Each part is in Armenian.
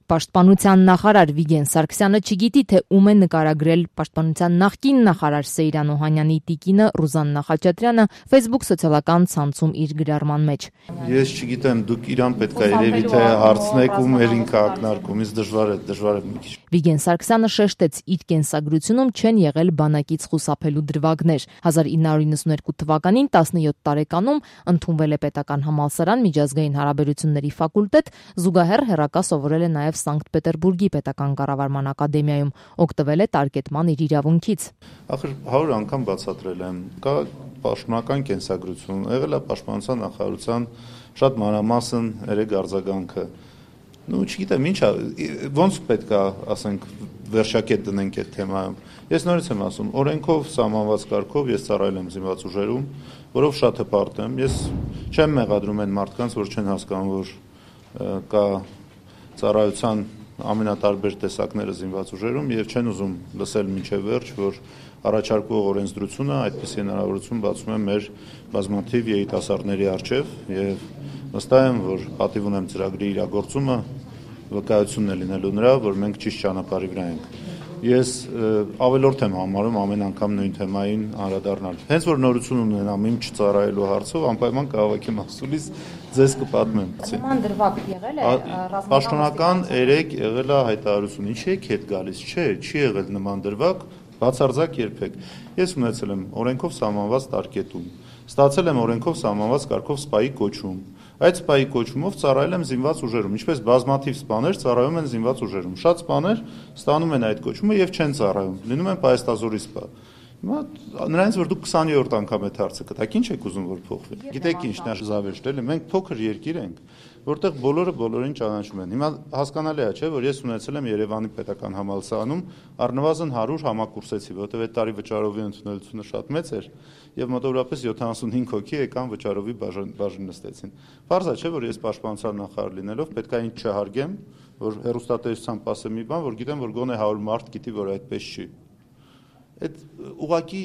Պաշտպանության նախարար Վիգեն Սարգսյանը չգիտի, թե ում է նկարագրել պաշտպանության նախկին նախարար Սեյրան Օհանյանի տիկինը Ռուզաննա Խաչատրյանը Facebook սոցիալական ցանցում իր գրառման մեջ։ Ես չգիտեմ, դուք իրան պետք է երևի թե հարցնեք ում էր ինքը ակնարկում, ինձ դժվար է մի քիչ։ Վիգեն Սարգսյանը շեշտեց, իր կենսագրությունում չեն եղել բանակից խուսափելու դրվագներ։ 1992 թվականին 17 տարեկանում ընդունվել է պետական համալսարան միջազգային հարաբերությունների ֆակուլտետ, զուգահեռ հեռակա սովորել է նաև Սանկտ Պետերբուրգի պետական կառավարման ակադեմիայում, օգտվել է տարկետման իր իրավունքից։ Ախր 100 անգամ բացատրել եմ, կա պաշտոնական կենսագրություն, եղել է պաշտպանության նախարարության շատ մանրամասն երեք արձագանքը։ Չգիտեմ, ինչա, ոնց պետք է, ասենք, վերջակետ դնենք այդ թեմայում։ Ես նորից եմ ասում, օրենքով սահմանված կարգով ես ծառայել եմ զինված ուժերում, որով շատ հպարտ եմ։ Ես չեմ մեղադրում այն մարդկանց, որ չեն հասկանում, որ կա ծառայության ամենատարբեր տեսակները զինված ուժերում եւ չեն ուզում լսել մինչեւ վերջ, որ առաջարկվող օրենսդրությունը այդպիսի հնարավորություն բացում է մեր բազմաթիվ երիտասարդների առջև եւ վստահ եմ, որ պատիվ ունեմ ծրագրի իրագործումը վկայությունն է լինելու նրա, որ մենք ճիշտ ճանապարհի վրա ենք։ Ես ավելորդ եմ համարում ամեն անգամ նույն թեմային անդրադառնալ։ Հենց որ նորություն ունենամ իմ չծառայելու հարցով, անպայման կհավաքեմ ասուլիս, ձեզ կպատմեմ։ Նման դրվագ եղել է Պաշտոնական 3 եղել է հայտարարություն, ինչի եք հետ գալիս, չի եղել նման դրվագ, բացարձակ երբեք։ Ես ունեցել եմ օրենքով սահմանված տարկետում, ստացել եմ օրենքով սահմանված կարգով սպայի կոչում։ Այդ սպայի կոչումով ծառայել եմ զինված ուժերում, ինչպես բազմաթիվ սպաներ ծառայում են զինված ուժերում։ Շատ սպաներ ստանում են այդ կոչումը եւ չեն ծառայում, լինում են պայեստազորի սպա։ Հիմա նրանից որ դուք 20-րդ անգամ այդ հարցը կտաք, ինչ եք ուզում որ փոխվի։ Գիտեք ինչ, նա զավեշտ էլի, մենք փոքր երկիր ենք, որտեղ բոլորը բոլորին ճանաչում են։ Հիմա հասկանալի է, չէ, որ ես ունեցել եմ Երևանի պետական համալսարանում առնվազն 100 համակուրսեցի, որովհետև այդ տարի վճարովի ընդունելությունը շատ մեծ էր եւ մոտավորապես 75 հոգի եկան վճարովի բաժին նստեցին։ Պարզ է, չէ, որ ես պաշտպանության նախարար լինելով պետք է ինձ չհարգեմ, որ հեռուստատեսությամբ ասեմ մի բան, որ գիտեմ, որ գոնե 100 մարդ գիտի, որ այդպես չի։ Այդ ուղղակի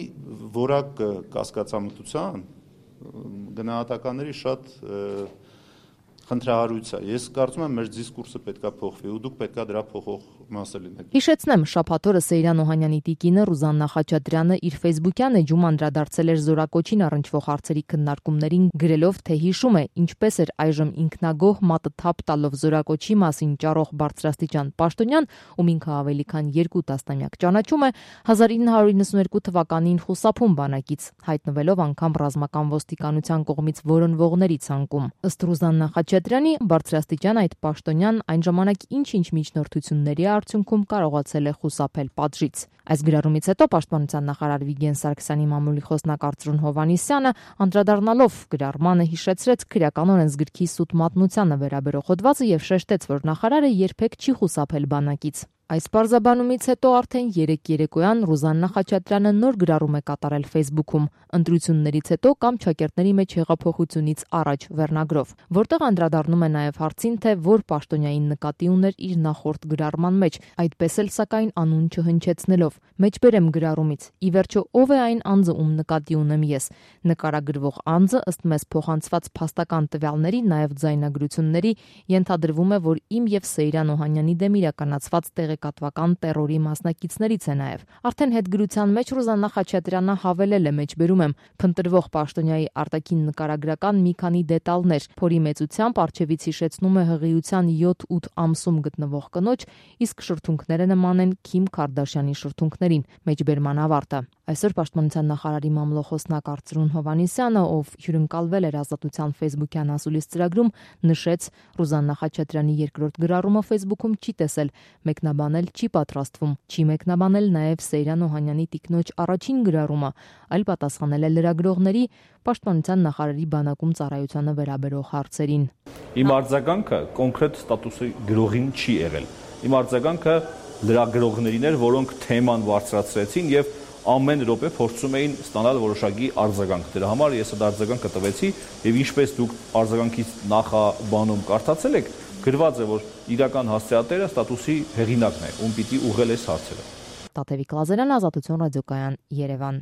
որակ կասկածամտության գնահատականների շատ խնդրահարույց է։ Ես կարծում եմ մեր դիսկուրսը պետքա փոխվի ու դուք պետքա դրա փոխող մասը լինեք։ Հիշեցնեմ, շաբաթ օրը Սեյրան Օհանյանի տիկինը Ռուզաննա Խաչատրյանը իր Facebook-յան էջում անդրադարձել էր զորակոչին առնչվող հարցերի քննարկումներին, գրելով, թե հիշում է, ինչպես էր այժմ ինքնագոհ մատը թափ տալով զորակոչի մասին ճառող բարձրաստիճան պաշտոնյան, ում ինքը ավելի քան 2 տասնամյակ ճանաչում է, 1992 թվականին խուսափում բանակից, հայտնվելով անգամ ռազմական ոստիկանության կողմից որոնվողների ցանկում։ Ըստ Ռուզաննա Խաչատրյանի բարձրաստիճան այդ պաշտոնյան այն ժամանակ ինչ-ինչ միջնորդությունների արդյունքում կարողացել է խուսափել պատժից։ Այս գրառումից հետո պաշտպանության նախարար Վիգեն Սարգսյանի մամուլի խոսնակ Արծրուն Հովհաննիսյանը անդրադառնալով գրառմանը հիշեցրեց քրեական օրենսգրքի սուտ մատնությանը վերաբերող հոդվածը եւ շեշտեց, որ նախարարը երբեք չի խուսափել բանակից։ Այս պարզաբանումից հետո արդեն 3 երեկոյան Ռուզաննա Խաչատրյանը նոր գրառում է կատարել Facebook-ում ընտրություններից հետո կամ ճակերտների մեջ հեղափոխությունից առաջ վերնագրով, որտեղ անդրադառնում է նաև հարցին, թե որ պաշտոնյային նկատի ուներ իր նախորդ գրառման մեջ, այդպես էլ սակայն անուն չհնչեցնելով։ Մեջբերեմ գրառումից. ի վերջո ով է այն անձը, ում նկատի ունեմ ես։ Նկարագրվող անձը ըստ մեզ փոխանցված փաստական տվյալների, նաև ձայնագրությունների ենթադրվում է, որ իմ եւ Սեյրան Օհանյանի դեմ իրականացված տեղեկատվական տերորի մասնակիցներից է նաև։ Արդեն հետգրության մեջ Ռուզաննա Խաչատրյանը հավելել է, մեջբերում եմ, փնտրվող պաշտոնյայի արտաքին նկարագրական մի քանի դետալներ, փորի մեծությամբ արջևից հիշեցնում է հղիության 7-8 ամսում գտնվող կնոջ, իսկ շրթունքները նման են Քիմ Քարդաշյանի շրթունքներին, մեջբերման ավարտը։ Այսօր պաշտպանության նախարարի մամլոխոսնակ Արծրուն Հովհաննիսյանը, ով հյուրընկալվել էր Ազատության Facebook-յան ասուլիս ծրագրում, նշեց, Ռուզաննա Խաչատրյանի երկրորդ գրառումը Facebook-ում չի տեսել, մեկնաբանել չի պատրաստվում, չի մեկնաբանել նաև Սեյրան Օհանյանի տիկնոջ առաջին գրառումը, այլ պատասխանել է լրագրողների պաշտպանության նախարարի բանակում ծառայությանը վերաբերող հարցերին։ Իմ արձագանքը կոնկրետ ստատուսի գրողին չի եղել։ Իմ արձագանքը լրագրողներին էր, որոնք թեման բարձրացրեցին եւ ամեն րոպե փորձում էին ստանալ որոշակի արձագանք։ Դրա համար ես այդ արձագանքը տվեցի եւ ինչպես դուք արձագանքից նախաբանում կարդացել եք, գրված է, որ իրական հասցեատերը ստատուսի հեղինակն է, ում պիտի ուղղել այս հարցերը։ Տաթևիկ Լազարյան, Ազատություն ռադիոկայան, Երևան։